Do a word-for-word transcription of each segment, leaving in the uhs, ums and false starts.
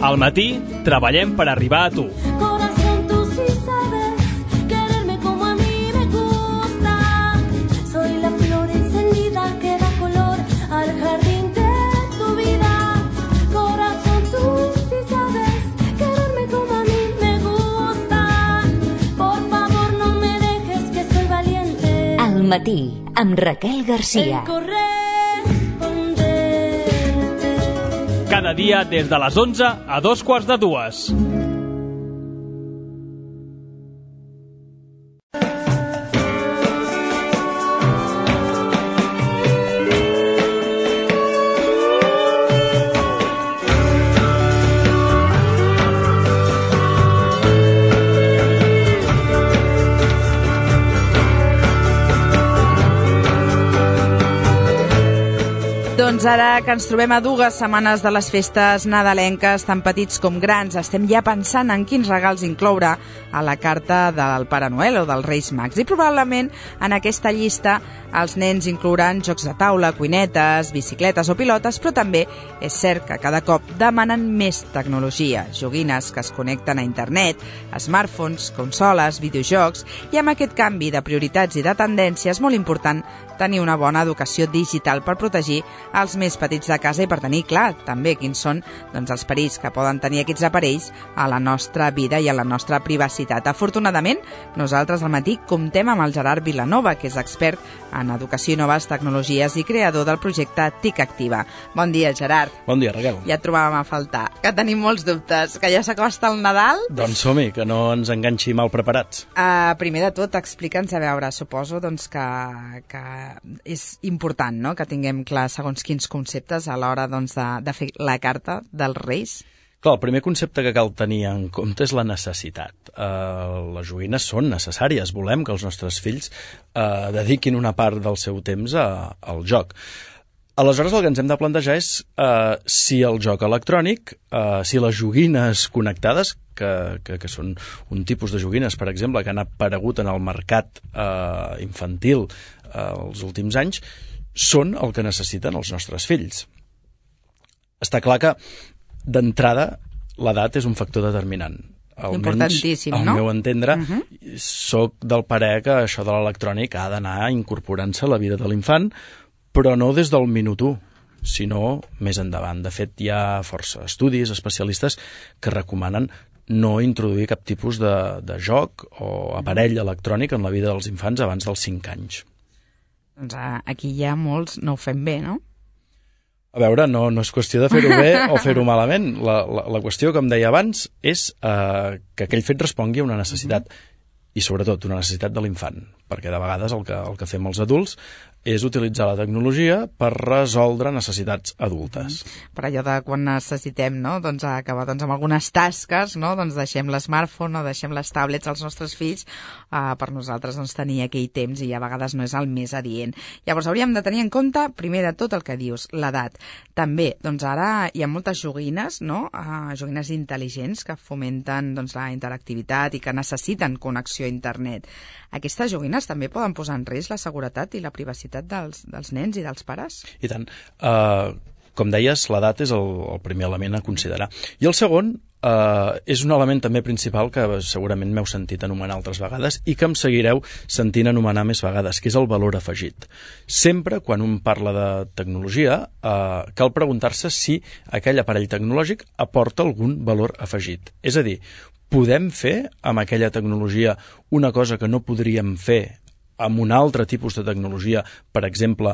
Al matí treballem per arribar a tu. Corazón, tú sí sabes quererme como a mí me gusta. Soy la flor encendida que da color al jardín de tu vida. Corazón, tú sí sabes quererme como a mí me gusta. Por favor, no me dejes que soy valiente. Al matí, amb Raquel Garcia. Cada dia des de les onze a dos quarts de dues. Doncs ara que ens trobem a dues setmanes de les festes nadalenques, tan petits com grans, estem ja pensant en quins regals incloure a la carta del Pare Noel o dels Reis Mags. I probablement en aquesta llista els nens inclouran jocs de taula, cuinetes, bicicletes o pilotes, però també és cert que cada cop demanen més tecnologia, joguines que es connecten a internet, smartphones, consoles, videojocs, i amb aquest canvi de prioritats i de tendència és molt important tenir una bona educació digital per protegir els més petits de casa i per tenir clar també quins són doncs, els perills que poden tenir aquests aparells a la nostra vida i a la nostra privacitat. Afortunadament, nosaltres al matí comptem amb el Gerard Vilanova, que és expert en educació i noves tecnologies i creador del projecte TIC Activa. Bon dia, Gerard. Bon dia, Raquel. Ja et trobàvem a faltar, que tenim molts dubtes, que ja s'acosta el Nadal. Doncs som-hi, que no ens enganxi mal preparats. Uh, primer de tot, explica'ns, a veure, suposo doncs, que, que és important, no?, que tinguem clar segons quins conceptes a l'hora doncs, de, de fer la carta dels Reis. Clar, el primer concepte que cal tenir en compte és la necessitat. Uh, les joguines són necessàries. Volem que els nostres fills uh, dediquin una part del seu temps a, al joc. Aleshores, el que ens hem de plantejar és uh, si el joc electrònic, uh, si les joguines connectades, que, que, que són un tipus de joguines, per exemple, que han aparegut en el mercat uh, infantil uh, els últims anys, són el que necessiten els nostres fills. Està clar que, d'entrada, l'edat és un factor determinant. Importantíssim, almenys, no? Al meu entendre, uh-huh. soc del parer que això de l'electrònic ha d'anar incorporant-se a la vida de l'infant, però no des del minut u, sinó més endavant. De fet, hi ha força estudis, especialistes, que recomanen no introduir cap tipus de, de joc o aparell electrònic en la vida dels infants abans dels cinc anys. Doncs aquí ja molts no ho fem bé, no? A veure, no, no és qüestió de fer-ho bé o fer-ho malament. La, la, la qüestió, com deia abans, és eh, que aquell fet respongui a una necessitat, i sobretot una necessitat de l'infant, perquè de vegades el que, el que fem els adults és utilitzar la tecnologia per resoldre necessitats adultes. Per allò de quan necessitem, no?, doncs acabar doncs, amb algunes tasques, no?, doncs deixem l'smartphone o deixem les tablets als nostres fills uh, per nosaltres doncs, tenir aquell temps i a vegades no és el més adient. Llavors hauríem de tenir en compte, primer de tot, el que dius, l'edat. També, doncs ara hi ha moltes joguines, no?, uh, joguines intel·ligents que fomenten doncs, la interactivitat i que necessiten connexió a internet. Aquestes joguines també poden posar en risc la seguretat i la privacitat dels, dels nens i dels pares? I tant. Uh, com deies, l'edat és el, el primer element a considerar. I el segon uh, és un element també principal que segurament m'heu sentit anomenar altres vegades i que em seguireu sentint anomenar més vegades, que és el valor afegit. Sempre, quan un parla de tecnologia, uh, cal preguntar-se si aquell aparell tecnològic aporta algun valor afegit. És a dir, podem fer amb aquella tecnologia una cosa que no podríem fer amb un altre tipus de tecnologia, per exemple,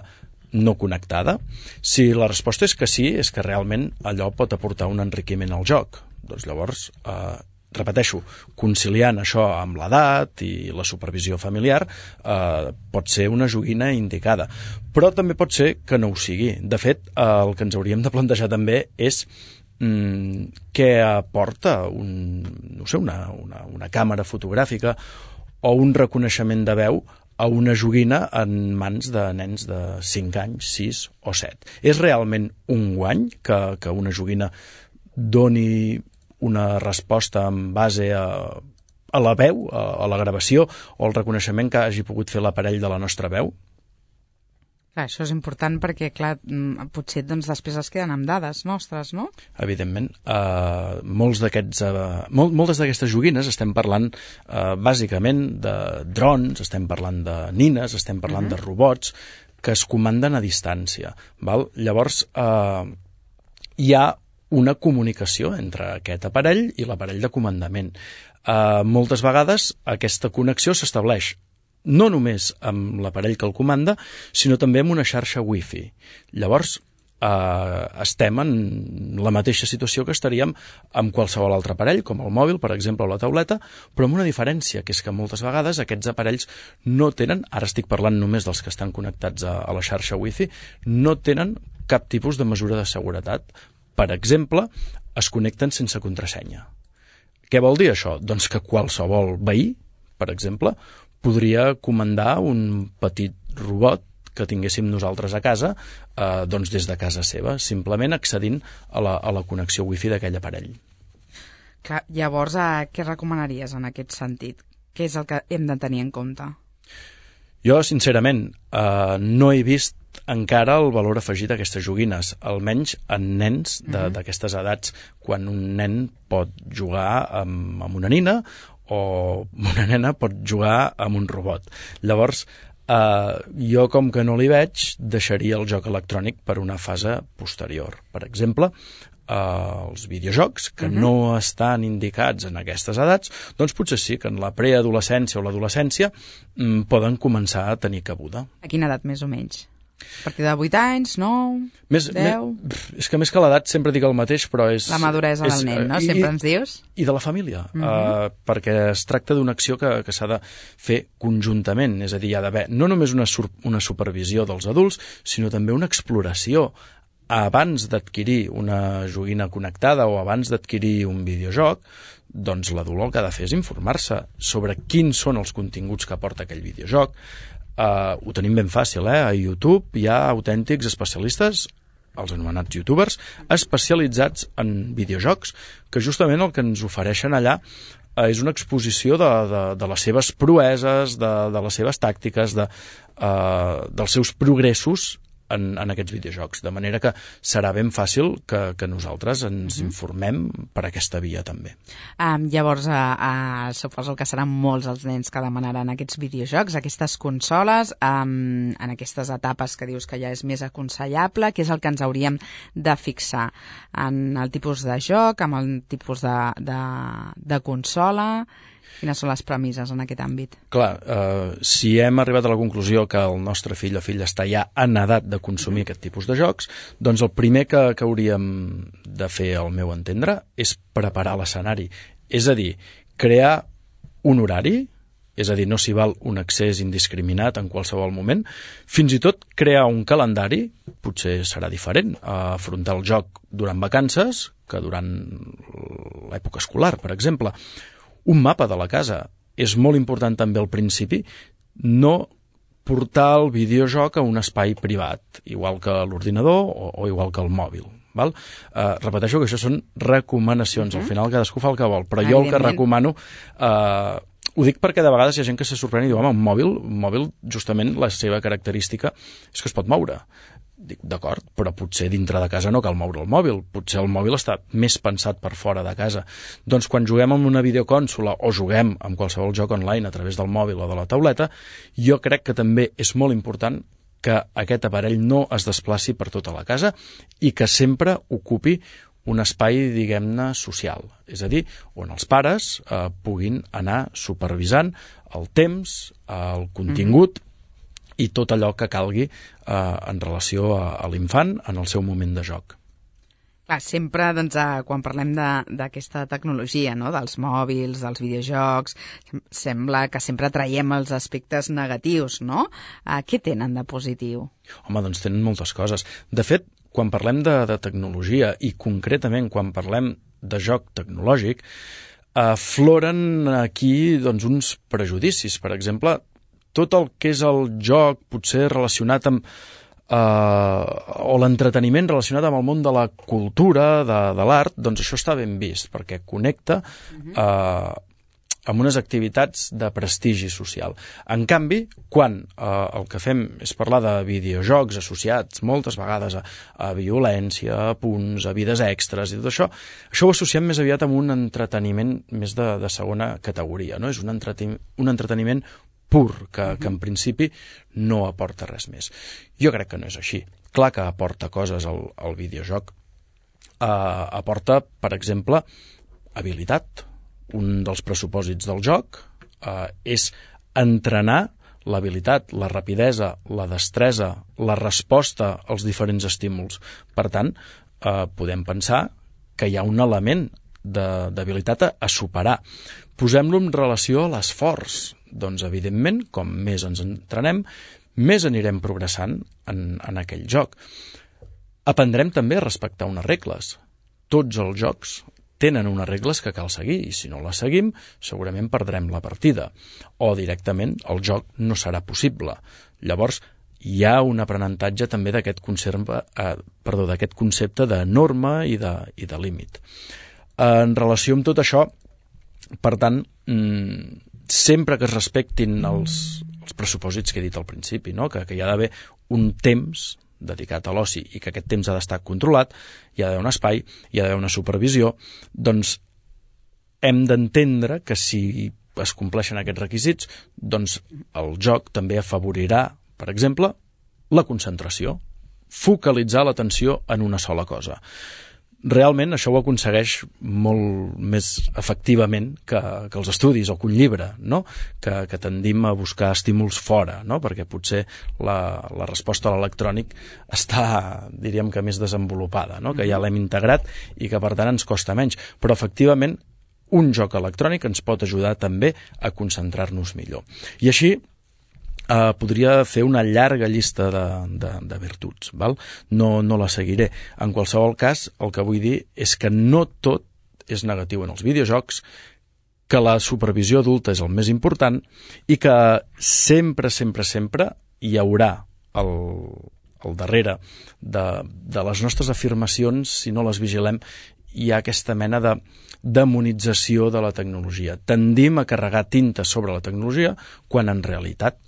no connectada? Si la resposta és que sí, és que realment allò pot aportar un enriquiment al joc. Doncs llavors, eh, repeteixo, conciliant això amb l'edat i la supervisió familiar, eh, pot ser una joguina indicada. Però també pot ser que no ho sigui. De fet, eh, el que ens hauríem de plantejar també és què aporta un, no sé, una, una, una càmera fotogràfica o un reconeixement de veu a una joguina en mans de nens de cinc anys, sis o set. És realment un guany que, que una joguina doni una resposta en base a, a la veu, a, a la gravació o al reconeixement que hagi pogut fer l'aparell de la nostra veu? Clar, això és important perquè, clar, mm, potser doncs, després es queden amb dades nostres, no? Evidentment. Uh, molts d'aquests, uh, mol, moltes d'aquestes joguines estem parlant uh, bàsicament de drons, estem parlant de nines, estem parlant uh-huh. de robots que es comanden a distància. Val? Llavors, uh, hi ha una comunicació entre aquest aparell i l'aparell de comandament. Uh, moltes vegades aquesta connexió s'estableix no només amb l'aparell que el comanda, sinó també amb una xarxa wifi. Llavors, eh, estem en la mateixa situació que estaríem amb qualsevol altre aparell, com el mòbil, per exemple, o la tauleta, però amb una diferència, que és que moltes vegades aquests aparells no tenen, ara estic parlant només dels que estan connectats a, a la xarxa wifi, no tenen cap tipus de mesura de seguretat. Per exemple, es connecten sense contrasenya. Què vol dir això? Doncs que qualsevol veí, per exemple, podria comandar un petit robot que tinguéssim nosaltres a casa, eh, doncs des de casa seva, simplement accedint a la, a la connexió wifi d'aquell aparell. Clar, llavors, eh, què recomanaries en aquest sentit? Què és el que hem de tenir en compte? Jo, sincerament, eh, no he vist encara el valor afegit d'aquestes joguines, almenys en nens d'aquestes mm-hmm. edats, quan un nen pot jugar amb, amb una nina o una nena pot jugar amb un robot. Llavors, eh, jo com que no li veig, deixaria el joc electrònic per una fase posterior. Per exemple, eh, els videojocs que uh-huh. no estan indicats en aquestes edats, doncs potser sí que en la preadolescència o l'adolescència mm, poden començar a tenir cabuda. A quina edat més o menys? A partir de vuit anys, nou, més, deu... Més, és que més que l'edat sempre dic el mateix, però és... La maduresa és, del nen, no? Sempre i, ens dius? I de la família, uh-huh. uh, perquè es tracta d'una acció que, que s'ha de fer conjuntament, és a dir, hi ha d'haver no només una, sur, una supervisió dels adults, sinó també una exploració. Abans d'adquirir una joguina connectada o abans d'adquirir un videojoc, doncs l'adult el que ha de fer és informar-se sobre quins són els continguts que aporta aquell videojoc. Uh, ho tenim ben fàcil, eh? A YouTube hi ha autèntics especialistes, els anomenats youtubers, especialitzats en videojocs, que justament el que ens ofereixen allà uh, és una exposició de, de, de les seves proeses, de, de les seves tàctiques, de, uh, dels seus progressos en, en aquests videojocs, de manera que serà ben fàcil que, que nosaltres ens uh-huh. informem per aquesta via també. Um, llavors, uh, uh, suposo que seran molts els nens que demanaran aquests videojocs, aquestes consoles, um, en aquestes etapes que dius que ja és més aconsellable, què és el que ens hauríem de fixar en el tipus de joc, amb el tipus de, de, de consola... Quines són les premisses en aquest àmbit? Clar, eh, si hem arribat a la conclusió que el nostre fill o filla està ja en edat de consumir mm. aquest tipus de jocs, doncs el primer que, que hauríem de fer, al meu entendre, és preparar l'escenari. És a dir, crear un horari, és a dir, no s'hi val un accés indiscriminat en qualsevol moment, fins i tot crear un calendari, potser serà diferent, a afrontar el joc durant vacances que durant l'època escolar, per exemple. Un mapa de la casa. És molt important també al principi no portar el videojoc a un espai privat, igual que l'ordinador o, o igual que el mòbil. Val? Uh, repeteixo que això són recomanacions. Uh-huh. Al final cadascú fa el que vol, però jo el que recomano... Uh, ho dic perquè de vegades hi ha gent que se sorprèn i diu, home, un mòbil, un mòbil justament la seva característica és que es pot moure. Dic, d'acord, però potser dintre de casa no cal moure el mòbil, potser el mòbil està més pensat per fora de casa. Doncs quan juguem amb una videocònsola o juguem amb qualsevol joc online a través del mòbil o de la tauleta, jo crec que també és molt important que aquest aparell no es desplaci per tota la casa i que sempre ocupi un espai, diguem-ne, social. És a dir, on els pares eh, puguin anar supervisant el temps, el contingut, mm-hmm. i tot allò que calgui eh, en relació a, a l'infant en el seu moment de joc. Clar, sempre, doncs, eh, quan parlem d'aquesta tecnologia, no?, dels mòbils, dels videojocs, sembla que sempre traiem els aspectes negatius, no? Eh, què tenen de positiu? Home, doncs tenen moltes coses. De fet, quan parlem de, de tecnologia i concretament quan parlem de joc tecnològic, afloren aquí doncs, uns prejudicis. Per exemple, tot el que és el joc potser relacionat amb eh, o l'entreteniment relacionat amb el món de la cultura, de, de l'art, doncs això està ben vist, perquè connecta eh, amb unes activitats de prestigi social. En canvi, quan eh, el que fem és parlar de videojocs associats moltes vegades a, a violència, a punts, a vides extres i tot això, això ho associem més aviat amb un entreteniment més de, de segona categoria, no? És un, entreten un entreteniment pur, que, que en principi no aporta res més. Jo crec que no és així. Clar que aporta coses al, al videojoc. Uh, aporta, per exemple, habilitat. Un dels pressupòsits del joc uh, és entrenar l'habilitat, la rapidesa, la destresa, la resposta als diferents estímuls. Per tant, uh, podem pensar que hi ha un element d'habilitat a, a superar. Posem-lo en relació a l'esforç. Doncs, evidentment, com més ens entrenem, més anirem progressant en, en aquell joc. Aprendrem també a respectar unes regles. Tots els jocs tenen unes regles que cal seguir, i si no les seguim, segurament perdrem la partida. O directament el joc no serà possible. Llavors, hi ha un aprenentatge també d'aquest concepte, eh, perdó, d'aquest concepte de norma i de, i de límit. En relació amb tot això, per tant, mmm, sempre que es respectin els, els pressupòsits que he dit al principi, no? que, que hi ha d'haver un temps dedicat a l'oci i que aquest temps ha d'estar controlat, hi ha d'haver un espai, hi ha d'haver una supervisió, doncs hem d'entendre que si es compleixen aquests requisits, doncs el joc també afavorirà, per exemple, la concentració, focalitzar l'atenció en una sola cosa. Realment això ho aconsegueix molt més efectivament que, que els estudis o que un llibre, no? que, que tendim a buscar estímuls fora, no? perquè potser la, la resposta a l'electrònic està, diríem que més desenvolupada, no? que ja l'hem integrat i que per tant ens costa menys. Però efectivament un joc electrònic ens pot ajudar també a concentrar-nos millor. I així Uh, podria fer una llarga llista de, de, de virtuts, val? No, no la seguiré. En qualsevol cas, el que vull dir és que no tot és negatiu en els videojocs, que la supervisió adulta és el més important i que sempre, sempre, sempre hi haurà el, el darrere de, de les nostres afirmacions, si no les vigilem, hi ha aquesta mena de demonització de la tecnologia. Tendim a carregar tinta sobre la tecnologia quan en realitat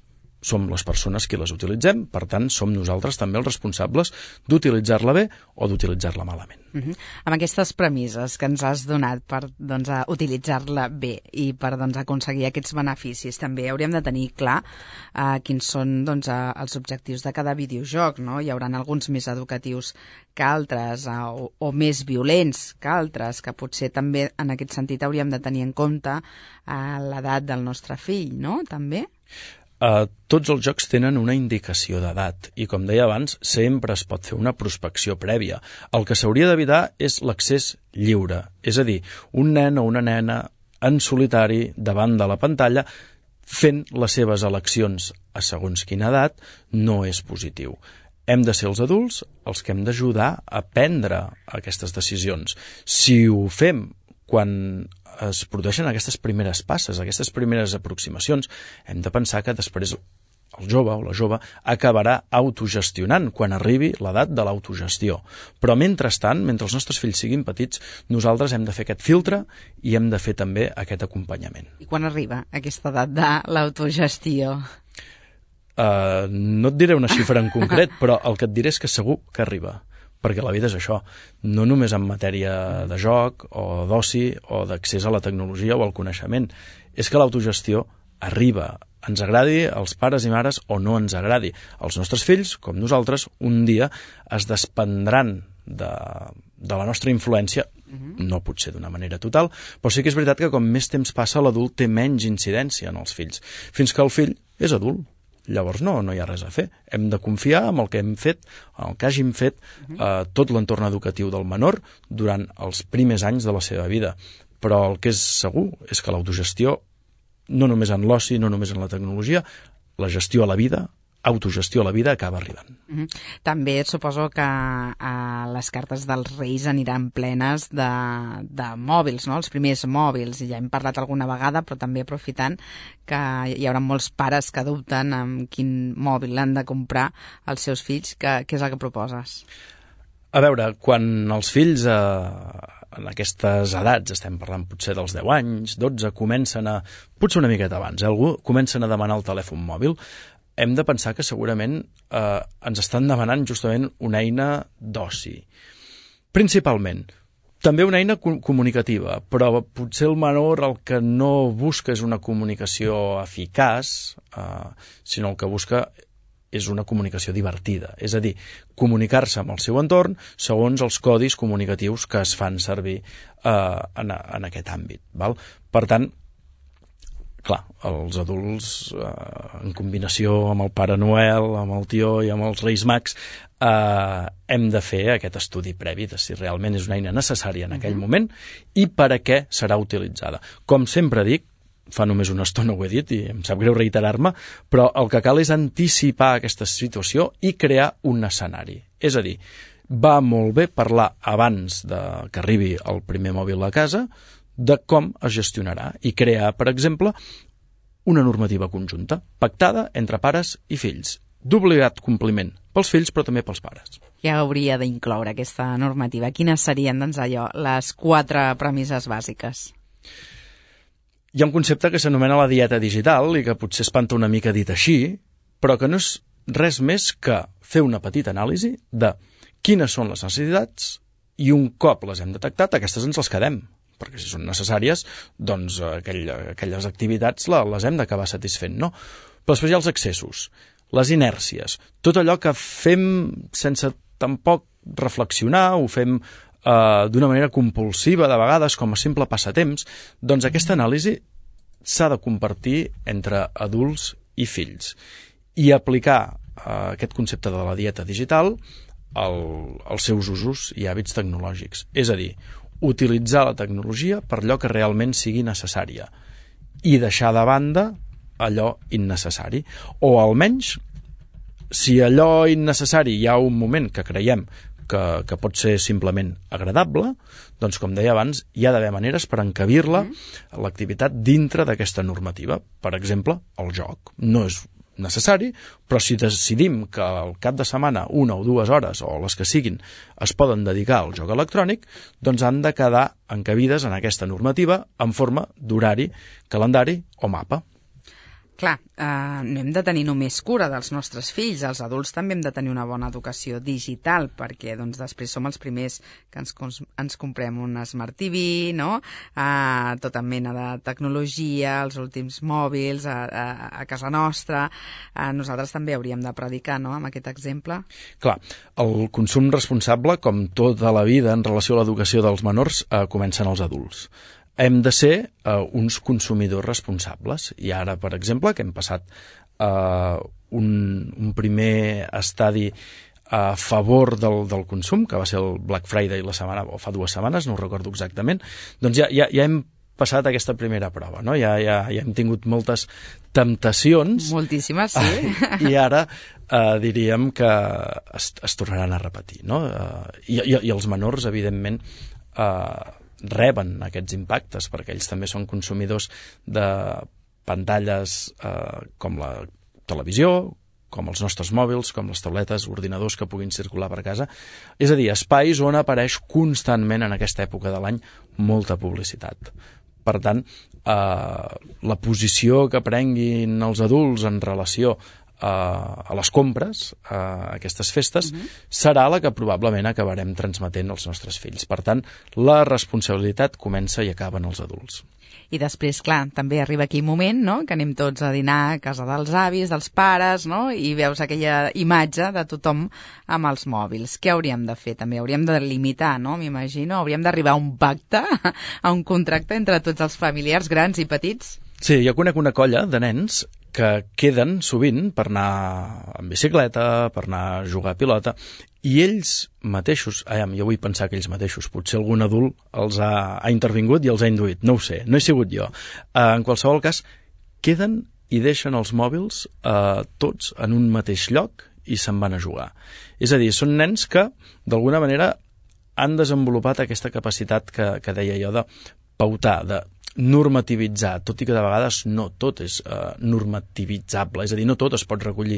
som les persones qui les utilitzem, per tant, som nosaltres també els responsables d'utilitzar-la bé o d'utilitzar-la malament. Uh-huh. Amb aquestes premisses que ens has donat per doncs, a utilitzar-la bé i per doncs, aconseguir aquests beneficis, també hauríem de tenir clar uh, quins són doncs, uh, els objectius de cada videojoc, no? Hi haurà alguns més educatius que altres uh, o, o més violents que altres, que potser també en aquest sentit hauríem de tenir en compte uh, l'edat del nostre fill, no? També? Uh, tots els jocs tenen una indicació d'edat i, com deia abans, sempre es pot fer una prospecció prèvia. El que s'hauria d'evitar és l'accés lliure, és a dir, un nen o una nena en solitari davant de la pantalla fent les seves eleccions a segons quina edat no és positiu. Hem de ser els adults els que hem d'ajudar a prendre aquestes decisions. Si ho fem quan es produeixen aquestes primeres passes, aquestes primeres aproximacions, hem de pensar que després el jove o la jove acabarà autogestionant quan arribi l'edat de l'autogestió. Però mentrestant, mentre els nostres fills siguin petits, nosaltres hem de fer aquest filtre i hem de fer també aquest acompanyament. I quan arriba aquesta edat de l'autogestió? Uh, no et diré una xifra en concret, però el que et diré és que segur que arriba. Perquè la vida és això, no només en matèria de joc o d'oci o d'accés a la tecnologia o al coneixement. És que l'autogestió arriba, ens agradi als pares i mares o no ens agradi. Els nostres fills, com nosaltres, un dia es desprendran de, de la nostra influència, no potser d'una manera total, però sí que és veritat que com més temps passa l'adult té menys incidència en els fills, fins que el fill és adult. Llavors no, no hi ha res a fer. Hem de confiar en el que hem fet, en el que hàgim fet eh, tot l'entorn educatiu del menor durant els primers anys de la seva vida. Però el que és segur és que l'autogestió, no només en l'oci, no només en la tecnologia, la gestió a la vida, autogestió a la vida acaba arribant. Mm-hmm. També suposo que eh, les cartes dels Reis aniran plenes de, de mòbils, no? Els primers mòbils, i ja hem parlat alguna vegada, però també aprofitant que hi haurà molts pares que dubten amb quin mòbil han de comprar als seus fills. Què és el que proposes? A veure, quan els fills eh, en aquestes edats, estem parlant potser dels deu anys, dotze, comencen a, potser una miqueta abans, eh, algú comencen a demanar el telèfon mòbil, hem de pensar que segurament eh, ens estan demanant justament una eina d'oci. Principalment, també una eina co- comunicativa, però potser el menor el que no busca és una comunicació eficaç, eh, sinó el que busca és una comunicació divertida, és a dir, comunicar-se amb el seu entorn segons els codis comunicatius que es fan servir eh, en, en aquest àmbit. Val? Per tant, clar, els adults, eh, en combinació amb el Pare Noel, amb el tió i amb els Reis Mags, eh, hem de fer aquest estudi previ de si realment és una eina necessària en aquell moment i per a què serà utilitzada. Com sempre dic, fa només una estona ho he dit i em sap greu reiterar-me, però el que cal és anticipar aquesta situació i crear un escenari. És a dir, va molt bé parlar abans de que arribi el primer mòbil a casa de com es gestionarà i crear, per exemple, una normativa conjunta, pactada entre pares i fills, d'obligat compliment pels fills però també pels pares. Ja hauria d'incloure aquesta normativa. Quines serien, doncs, allò, les quatre premisses bàsiques? Hi ha un concepte que s'anomena la dieta digital i que potser espanta una mica dit així, però que no és res més que fer una petita anàlisi de quines són les necessitats i un cop les hem detectat, aquestes ens les quedem, perquè si són necessàries, doncs aquell, aquelles activitats les hem d'acabar satisfent, no? Però després hi ha els excessos, les inèrcies, tot allò que fem sense tampoc reflexionar, ho fem Uh, d'una manera compulsiva, de vegades, com a simple passatemps, doncs aquesta anàlisi s'ha de compartir entre adults i fills i aplicar uh, aquest concepte de la dieta digital al, als seus usos i hàbits tecnològics. És a dir, utilitzar la tecnologia per allò que realment sigui necessària i deixar de banda allò innecessari. O almenys, si allò innecessari hi ha un moment que creiem Que, que pot ser simplement agradable, doncs, com deia abans, hi ha d'haver maneres per encabir-la, mm. l'activitat, dintre d'aquesta normativa. Per exemple, el joc. No és necessari, però si decidim que al cap de setmana, una o dues hores, o les que siguin, es poden dedicar al joc electrònic, doncs han de quedar encabides en aquesta normativa en forma d'horari, calendari o mapa. Clar, eh, no hem de tenir només cura dels nostres fills, els adults també hem de tenir una bona educació digital, perquè doncs, després som els primers que ens, ens comprem un Smart T V, no? eh, tota mena de tecnologia, els últims mòbils a, a, a casa nostra. Eh, nosaltres també hauríem de predicar, no?, amb aquest exemple. Clar, el consum responsable, com tota la vida en relació a l'educació dels menors, eh, comencen els adults. Hem de ser uh, uns consumidors responsables. I ara, per exemple, que hem passat uh, un, un primer estadi a favor del, del consum, que va ser el Black Friday la setmana, o fa dues setmanes, no ho recordo exactament, doncs ja, ja, ja hem passat aquesta primera prova, no? Ja, ja, ja hem tingut moltes temptacions. Moltíssimes, sí. I ara uh, diríem que es, es tornaran a repetir, no? Uh, i, i, I els menors, evidentment, uh, reben aquests impactes, perquè ells també són consumidors de pantalles eh, com la televisió, com els nostres mòbils, com les tabletes, ordinadors que puguin circular per casa. És a dir, espais on apareix constantment en aquesta època de l'any molta publicitat. Per tant, eh, la posició que prenguin els adults en relació a les compres, a aquestes festes, uh-huh. serà la que probablement acabarem transmetent als nostres fills. Per tant, la responsabilitat comença i acaba en els adults. I després, clar, també arriba aquell moment, no?, que anem tots a dinar a casa dels avis, dels pares, no?, i veus aquella imatge de tothom amb els mòbils. Què hauríem de fer? També hauríem de limitar, no?, m'imagino. Hauríem d'arribar a un pacte, a un contracte entre tots els familiars grans i petits? Sí, jo conec una colla de nens que queden sovint per anar en bicicleta, per anar a jugar a pilota, i ells mateixos, ai, jo vull pensar que ells mateixos, potser algun adult els ha, ha intervingut i els ha induït, no ho sé, no he sigut jo. Uh, en qualsevol cas, queden i deixen els mòbils uh, tots en un mateix lloc i se'n van a jugar. És a dir, són nens que, d'alguna manera, han desenvolupat aquesta capacitat que, que deia jo de pautar, de normativitzar, tot i que de vegades no tot és uh, normativitzable, és a dir, no tot es pot recollir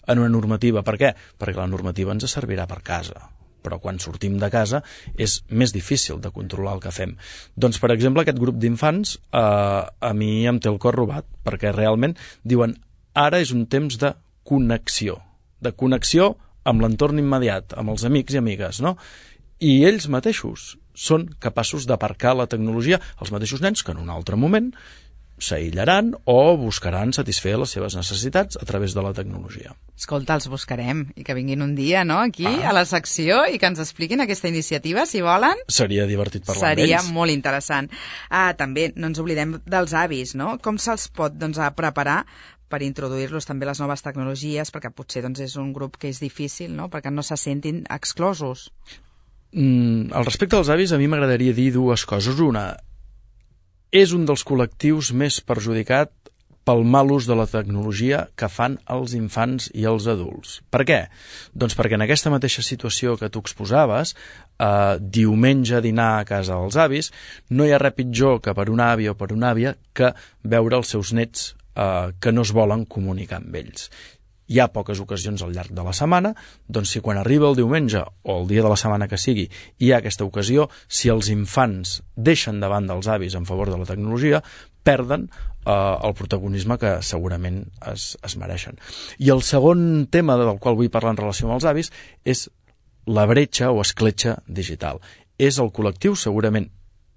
en una normativa. Per què? Perquè la normativa ens servirà per casa, però quan sortim de casa és més difícil de controlar el que fem. Doncs, per exemple, aquest grup d'infants eh, a mi em té el cor robat, perquè realment diuen ara és un temps de connexió, de connexió amb l'entorn immediat, amb els amics i amigues, no? I ells mateixos són capaços d'aparcar la tecnologia, els mateixos nens que en un altre moment s'aïllaran o buscaran satisfer les seves necessitats a través de la tecnologia. Escolta, els buscarem i que vinguin un dia, no?, aquí ah. a la secció i que ens expliquin aquesta iniciativa, si volen. Seria divertit parlar amb ells. Seria molt interessant. Ah, també no ens oblidem dels avis, no? Com se'ls pot, doncs, a preparar per introduir-los també les noves tecnologies, perquè potser doncs, és un grup que és difícil, no?, perquè no se sentin exclosos. Mm, al respecte dels avis, a mi m'agradaria dir dues coses. Una, és un dels col·lectius més perjudicat pel mal ús de la tecnologia que fan els infants i els adults. Per què? Doncs perquè en aquesta mateixa situació que tu exposaves, eh, diumenge dinar a casa dels avis, no hi ha res pitjor que per una àvia o per una àvia que veure els seus nets eh, que no es volen comunicar amb ells. Hi ha poques ocasions al llarg de la setmana, doncs si quan arriba el diumenge o el dia de la setmana que sigui hi ha aquesta ocasió, si els infants deixen davant dels avis en favor de la tecnologia, perden eh, el protagonisme que segurament es, es mereixen. I el segon tema del qual vull parlar en relació amb els avis és la bretxa o escletxa digital. És el col·lectiu segurament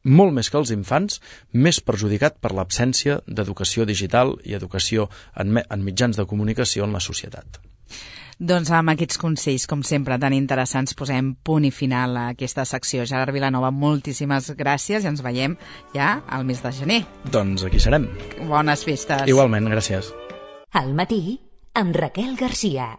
molt més que els infants, més perjudicat per l'absència d'educació digital i educació en, en mitjans de comunicació en la societat. Doncs amb aquests consells, com sempre, tan interessants, posem punt i final a aquesta secció. Gerard Vilanova, moltíssimes gràcies i ens veiem ja al mes de gener. Doncs aquí serem. Bones festes. Igualment, gràcies. Al matí, amb Raquel Garcia.